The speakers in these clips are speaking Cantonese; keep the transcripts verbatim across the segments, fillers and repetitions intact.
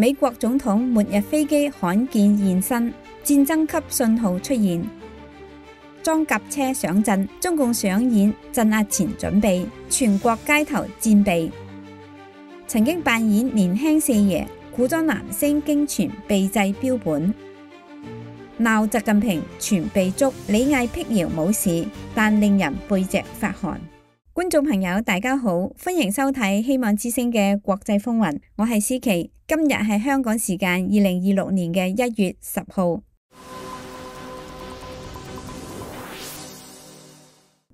美國總統末日飛機罕見現身，戰爭級信號出現。裝甲車上陣，中共上演鎮壓前準備，全國街頭戰備。曾經扮演年輕四爺、古裝男星經傳被制標本。鬧習近平全被捉，李毅辟謠冇事，但令人背脊發寒。觀眾朋友大家好，歡迎收睇希望之聲嘅國際風雲，我係思琪。今日係香港時間二零二六年嘅一月十號。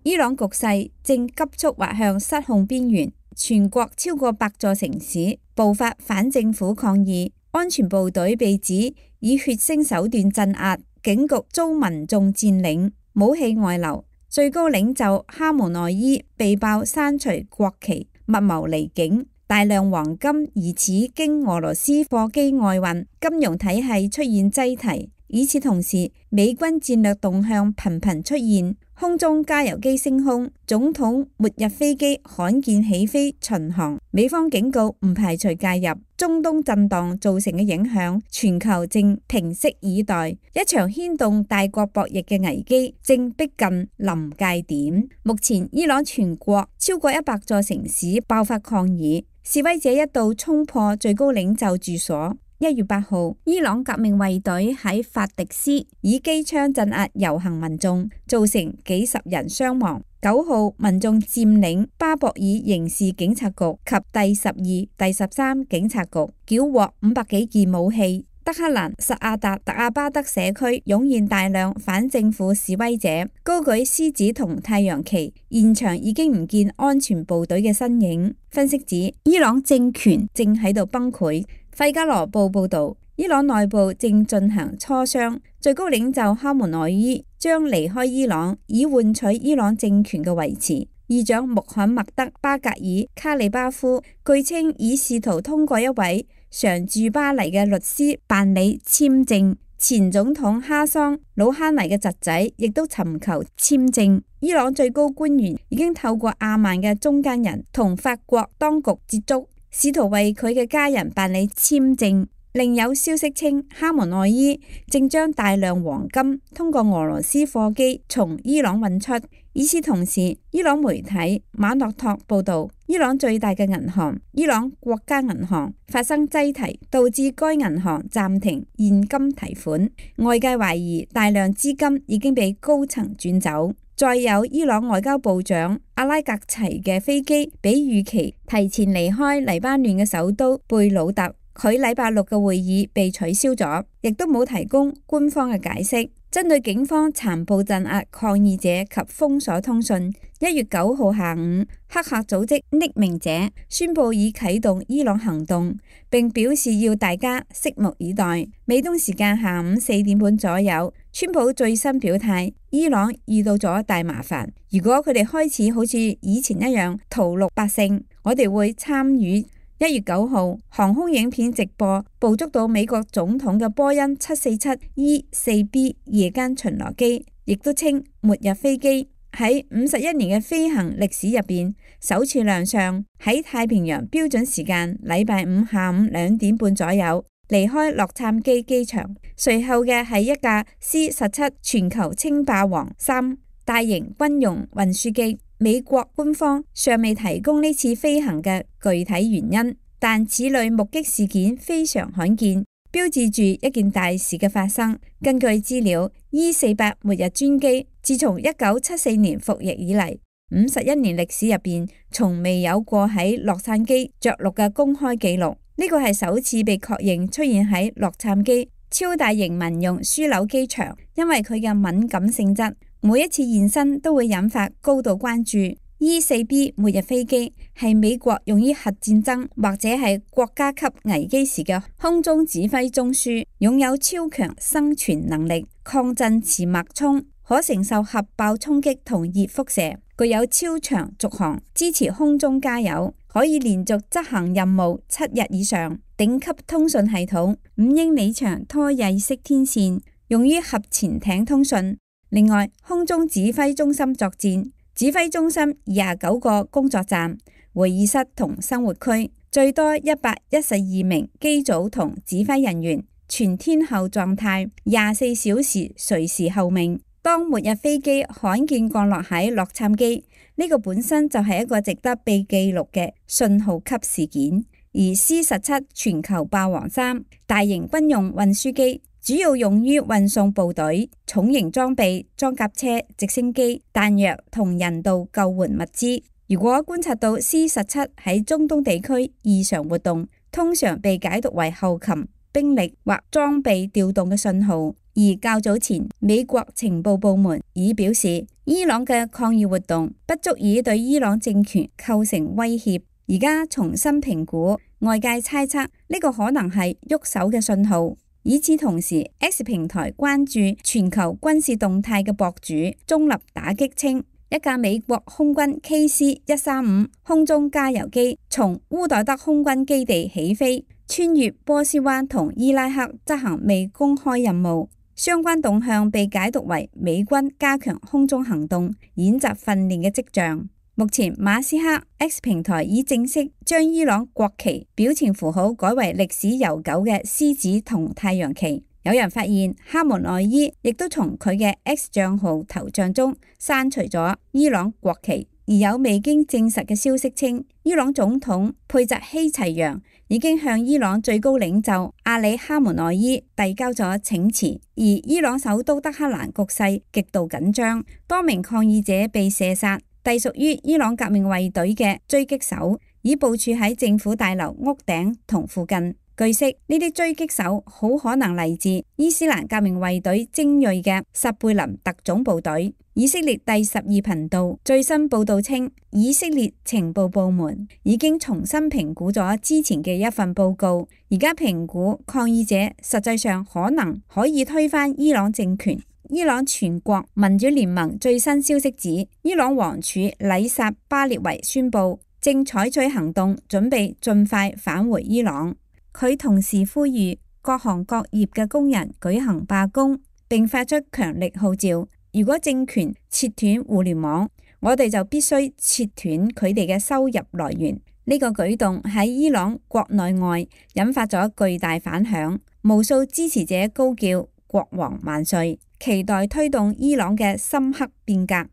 伊朗局勢正急速滑向失控邊緣，全國超過百座城市爆發反政府抗議，安全部隊被指以血腥手段鎮壓，警局遭民眾佔領，武器外流，最高領袖哈梅內伊被爆刪除國旗，密謀離境，大量黃金疑似經俄羅斯貨機外運，金融體系出現擠提。與此同時，美軍戰略動向頻頻出現，空中加油機升空，總統末日飛機罕見起飛巡航。美方警告唔排除介入，中東震盪造成嘅影響，全球正平息以待。一場牽動大國博弈嘅危機正逼近臨界點。目前，伊朗全國超過一百座城市爆發抗議，示威者一度衝破最高領袖住所。一月八號，伊朗革命衛隊喺法迪斯以機槍鎮壓遊行民眾，造成幾十人傷亡。九號，民眾佔領巴博爾刑事警察局及第十二、第十三警察局，繳獲五百幾件武器。德黑蘭薩阿達特阿巴德社區湧現大量反政府示威者，高舉獅子同太陽旗，現場已經唔見安全部隊嘅身影。分析指，伊朗政權正喺度崩潰。費加羅報報道，伊朗內部正進行磋商，最高領袖哈梅內伊將離開伊朗，以換取伊朗政權嘅維持。議長穆罕默德巴格爾卡里巴夫據稱已試圖通過一位常駐巴黎嘅律師辦理簽證，前總統哈桑魯哈尼嘅侄仔亦都尋求簽證。伊朗最高官員已經透過阿曼嘅中間人同法國當局接觸，試圖為佢嘅家人辦理簽證。另有消息稱，哈梅內伊正將大量黃金通過俄羅斯貨機從伊朗運出。與此同時，伊朗媒體馬諾托報道，伊朗最大嘅銀行伊朗國家銀行發生擠提，導致該銀行暫停現金提款。外界懷疑大量資金已經被高層轉走。再有，伊朗外交部長阿拉格齊嘅飛機比預期提前離開黎巴嫩嘅首都貝魯特。佢禮拜六嘅會議被取消咗，亦都冇提供官方嘅解釋。針對警方殘暴鎮壓抗議者及封鎖通訊，一月九號下午，黑客組織匿名者宣布已啟動伊朗行動，並表示要大家拭目以待。美東時間下午四點半左右，川普最新表態，伊朗遇到咗大麻煩，如果佢哋開始好似以前一樣屠戮百姓，我哋會參與。一月九號，航空影片直播捕捉到美國總統嘅波音七四七 E 四 B 夜間巡邏機，亦都稱末日飛機，喺五十一年嘅飛行歷史入邊首次亮相，喺太平洋標準時間禮拜五下午兩點半左右離開洛杉磯機場。隨後嘅係一架 C 十七全球稱霸王三大型軍用運輸機。美國官方尚未提供呢次飛行嘅具體原因，但此類目擊事件非常罕見，標誌住一件大事嘅發生。根據資料 ，E 四百末日專機自從一九七四年服役以嚟，五十一年歷史入邊，從未有過喺洛杉磯着陸嘅公開記錄。呢個係首次被確認出現喺洛杉磯超大型民用樞紐機場，因為佢嘅敏感性質。每一次現身都會引發高度關注。E 四 B 末日飛機係美國用於核戰爭或者係國家級危機時嘅空中指揮中樞，擁有超強生存能力、抗震磁脈衝，可承受核爆衝擊同熱輻射，具有超長續航，支持空中加油，可以連續執行任務七日以上。頂級通訊系統，五英里長拖曳式天線，用於核潛艇通訊。另外，空中指揮中心作戰，指揮中心廿九個工作站、會議室同生活區，最多一百一十二名機組同指揮人員，全天候狀態，廿四小時隨時候命。當末日飛機罕見降落喺洛杉磯，呢個本身就係一個值得被記錄嘅信號級事件。而 C 十七全球霸王三大型軍用運輸機，主要用於運送部隊、重型裝備、裝甲車、直升機、彈藥同人道救援物資。如果觀察到 C 十七喺中東地區異常活動，通常被解讀為後勤、兵力或裝備調動嘅信號。而較早前，美國情報部門已表示，伊朗嘅抗議活動不足以對伊朗政權構成威脅。而家重新評估，外界猜測呢個可能係喐手嘅信號。與此同時 ，X 平台關注全球軍事動態嘅博主中立打擊稱，一架美國空軍 K C 一三五空中加油機從烏代德空軍基地起飛，穿越波斯灣同伊拉克執行未公開任務。相關動向被解讀為美軍加強空中行動演習訓練嘅跡象。目前馬斯克 X 平台已正式將伊朗國旗表情符號改為歷史悠久嘅獅子同太陽旗。有人發現哈梅內伊亦都從佢嘅 X 賬號頭像中刪除咗伊朗國旗，而有未經證實嘅消息稱，伊朗總統佩澤希齊揚已經向伊朗最高領袖阿里哈梅內伊遞交咗請辭。而伊朗首都德黑蘭局勢極度緊張，多名抗議者被射殺，隸屬於伊朗革命衛隊嘅狙擊手已部署喺政府大樓屋頂同附近。據悉，呢啲狙擊手好可能嚟自伊斯蘭革命衛隊精銳嘅薩貝林特種部隊。以色列第十二頻道最新報道稱，以色列情報部門已經重新評估咗之前嘅一份報告，而家評估抗議者實際上可能可以推翻伊朗政權。伊朗全國民主聯盟最新消息指，伊朗王儲禮薩巴列維宣布正採取行動，準備盡快返回伊朗。佢同時呼籲各行各業嘅工人舉行罷工，並發出強力號召：如果政權切斷互聯網，我哋就必須切斷佢哋嘅收入來源。呢個舉動喺伊朗國內外引發咗巨大反響，無數支持者高叫國王萬歲，期待推動伊朗嘅深刻變革。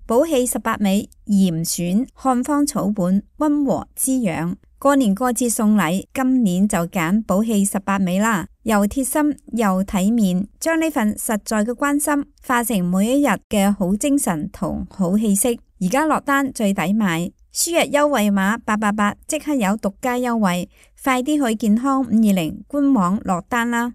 寶氣十八味嚴選漢方草本，溫和滋養。過年過節送禮，今年就揀寶氣十八味啦，又貼心又體面，將呢份實在嘅關心化成每一日嘅好精神同好氣息。而家落單最抵買，輸入優惠碼八八八即刻有獨家優惠，快啲去健康五二零官網落單啦！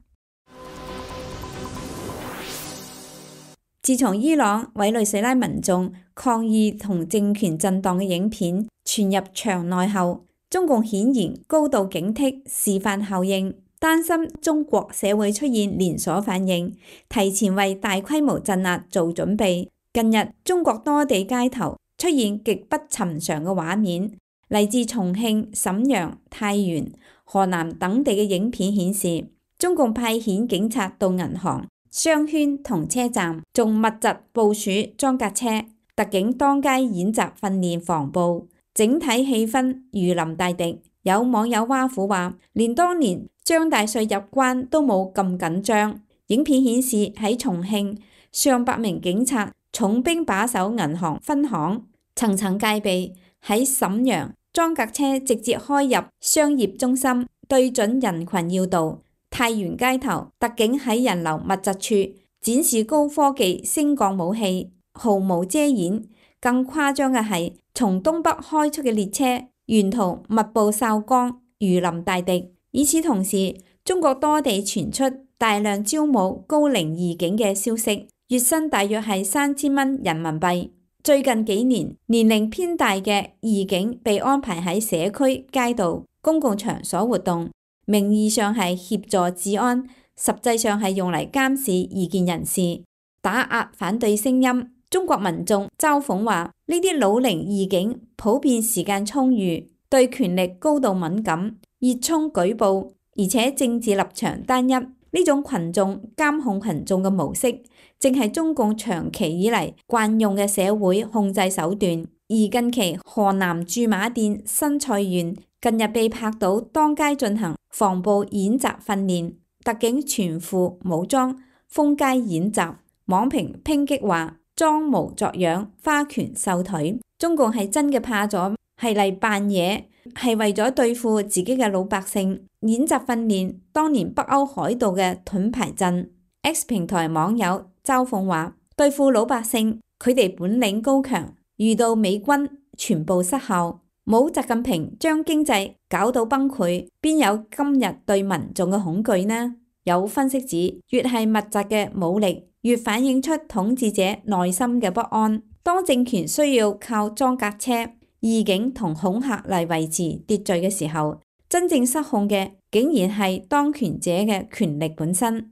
自從伊朗委內瑞拉民眾抗議同政權震盪嘅影片傳入場內後，中共顯然高度警惕示範效應，擔心中國社會出現連鎖反應，提前為大規模鎮壓做準備。近日，中國多地街頭出現極不尋常嘅畫面，嚟自重慶、瀋陽、太原、河南等地嘅影片顯示，中共派遣警察到銀行、商圈同車站，仲密集部署裝甲車，特警當街演習訓練防暴。整體氣氛如臨大敵，有網友挖苦話，連當年張大帥入關都冇咁緊張。影片顯示喺重慶，上百名警察重兵把守銀行分行，層層戒備；喺瀋陽，裝甲車直接開入商業中心，對準人群要道；太原街頭，特警喺人流密集處展示高科技升降武器，毫無遮掩。更誇張嘅係，從東北開出嘅列車，沿途密布哨崗，如臨大敵。與此同時，中國多地傳出大量招募高齡義警嘅消息，月薪大約係三千蚊人民幣。最近幾年，年齡偏大嘅義警被安排喺社區、街道、公共場所活動，名義上係協助治安，實際上係用嚟監視異見人士，打壓反對聲音。中國民眾嘲諷話，呢啲老齡義警普遍時間充裕，對權力高度敏感，熱衷舉報，而且政治立場單一。呢種群眾監控群眾嘅模式，正係中共長期以嚟慣用嘅社會控制手段。而近期河南駐馬店新蔡縣近日被拍到當街進行防暴演習訓練，特警全副武裝封街演習，網評抨擊話裝模作樣、花拳繡腿，中共係真嘅怕咗，係嚟扮嘢，係為咗對付自己嘅老百姓。演習訓練當年北歐海盜嘅盾牌陣。X 平台網友嘲諷話：對付老百姓，佢哋本領高強，遇到美軍全部失效。冇習近平將經濟搞到崩潰，邊有今日對民眾嘅恐懼呢？有分析指，越係密集嘅武力，越反映出統治者內心嘅不安。當政權需要靠裝甲車、義警同恐嚇嚟維持秩序嘅時候，真正失控嘅竟然係當權者嘅權力本身。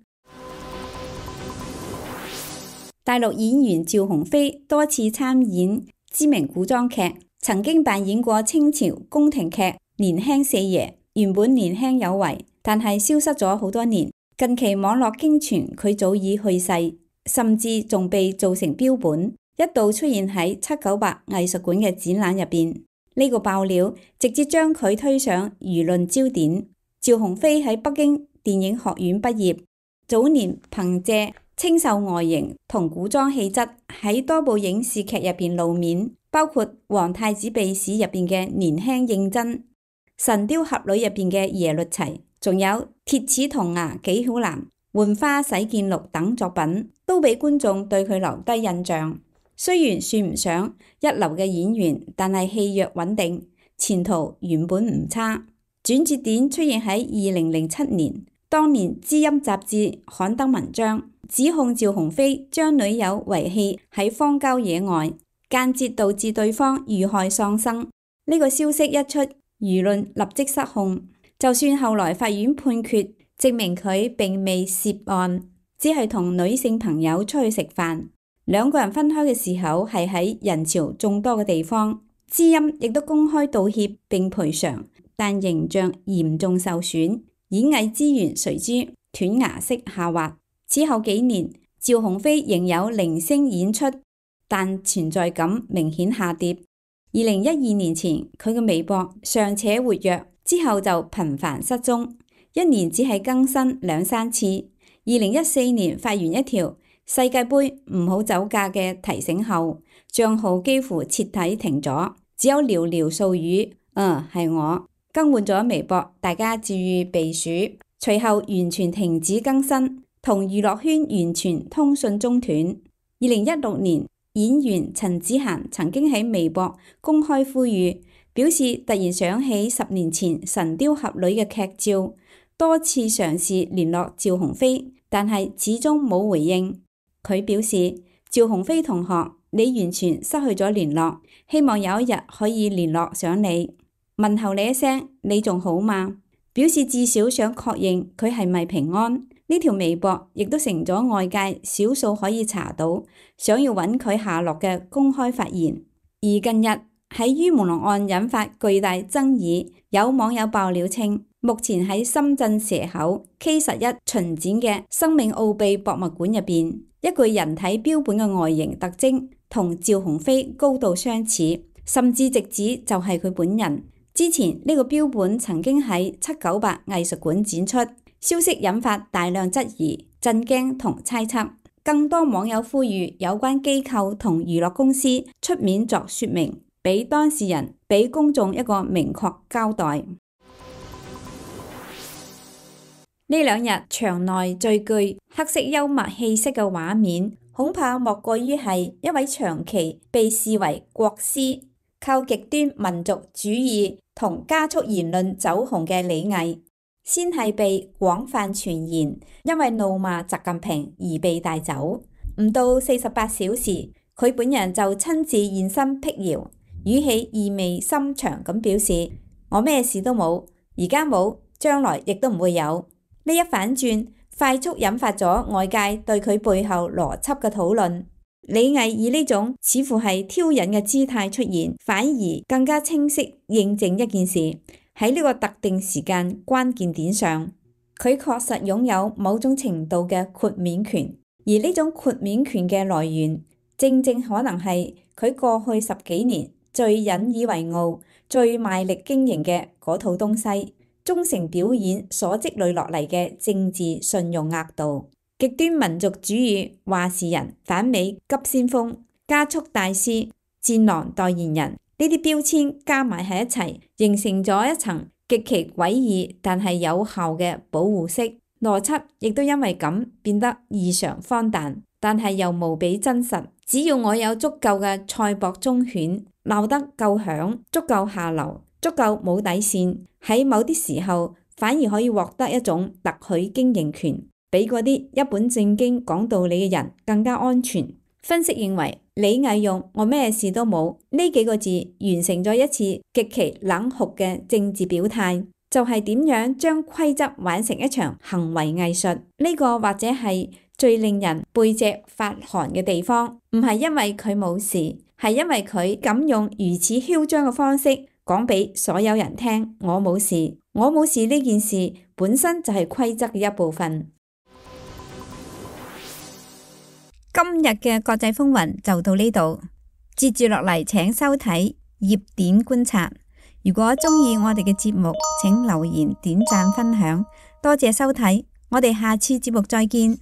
大陸演員趙鴻飛多次參演知名古裝劇。曾經扮演過清朝宮廷劇年輕四爺，原本年輕有為，但係消失咗好多年。近期網絡經傳佢早已去世，甚至仲被做成標本，一度出現喺七九八藝術館嘅展覽入邊。呢個爆料直接將佢推上輿論焦點。趙鴻飛喺北京電影學院畢業，早年憑借清秀外形同古裝氣質喺多部影視劇入邊露面。包括《皇太子秘史》入邊嘅年輕認真，《神雕俠侶》入邊嘅耶律齊，仲有《鐵齒銅牙紀曉嵐》、《浣花洗劍錄》等作品，都俾觀眾對佢留低印象。雖然算唔上一流嘅演員，但係戲約穩定，前途原本唔差。轉折點出現喺二零零七年，當年《知音》雜誌刊登文章，指控趙鴻飛將女友遺棄喺荒郊野外，間接導致對方遇害喪生。呢個消息一出，輿論立即失控。就算後來法院判決證明佢並未涉案，只係同女性朋友出去食飯，兩個人分開嘅時候係喺人潮眾多嘅地方。知音亦都公開道歉並賠償，但形象嚴重受損，演藝資源隨之斷崖式下滑。此後幾年，趙鴻飛仍有零星演出，但存在感明顯下跌。二零一二年前，佢嘅微博尚且活躍，之後就頻繁失蹤，一年只係更新兩三次。二零一四年發完一條世界盃唔好走架嘅提醒後，賬號幾乎徹底停咗，只有寥寥數語。嗯，係我更換咗微博，大家注意避暑。隨後完全停止更新，同娛樂圈完全通訊中斷。二零一六年，演員陳子嫻曾經喺微博公開呼籲，表示突然想起十年前《神雕俠侶》嘅劇照，多次嘗試聯絡趙鴻飛，但係始終冇回應。佢表示：趙鴻飛同學，你完全失去咗聯絡，希望有一日可以聯絡上你，問候你一聲，你仲好嗎？表示至少想確認佢係咪平安。呢條微博亦都成咗外界少數可以查到想要揾佢下落嘅公開發言。而近日喺于朦朧案引發巨大爭議，有網友爆料稱，目前喺深圳蛇口 K 十一巡展嘅生命奧秘博物館入邊，一具人體標本嘅外形特徵同趙鴻飛高度相似，甚至直指就係佢本人。之前呢個標本曾經喺七九八藝術館展出。消息引發大量質疑、震驚同猜測，更多網友呼籲有關機構同娛樂公司出面作說明，俾當事人、俾公眾一個明確交代。呢兩日場內最具黑色幽默氣息嘅畫面，恐怕莫過於係一位長期被視為國師、靠極端民族主義同加速言論走紅嘅李毅。先係被廣泛傳言，因為怒罵習近平而被帶走。唔到四十八小時，佢本人就親自現身闢謠，語氣意味深長咁表示：我咩事都冇，而家冇，將來亦都唔會有。呢一反轉，快速引發咗外界對佢背後邏輯嘅討論。李毅以呢種似乎係挑釁嘅姿態出現，反而更加清晰認證一件事。喺呢個特定時間關鍵點上，佢確實擁有某種程度嘅豁免權，而呢種豁免權嘅來源，正正可能係佢過去十幾年最引以為傲、最賣力經營嘅嗰套東西，忠誠表演所積累落嚟嘅政治信用額度，極端民族主義話事人、反美急先鋒、加速大師、戰狼代言人呢啲標籤加埋喺一齊，形成咗一層極其詭異但係有效嘅保護色。邏輯亦都因為咁變得異常荒誕，但係又無比真實。只要我有足夠嘅賽博忠犬，鬧得夠響，足夠下流，足夠冇底線，喺某啲時候反而可以獲得一種特許經營權，比嗰啲一本正經講道理嘅人更加安全。分析認為，李毅用我咩事都冇呢幾個字完成咗一次極其冷酷嘅政治表態，就係點樣將規則玩成一場行為藝術。呢個或者係最令人背脊發寒嘅地方，唔係因為佢冇事，係因為佢敢用如此囂張嘅方式講俾所有人聽，我冇事，我冇事呢件事本身就係規則嘅一部分。今日嘅國際風雲就到呢度，接住落嚟請收睇熱點觀察。如果中意我哋嘅節目，請留言、點讚、分享，多謝收睇，我哋下次節目再見。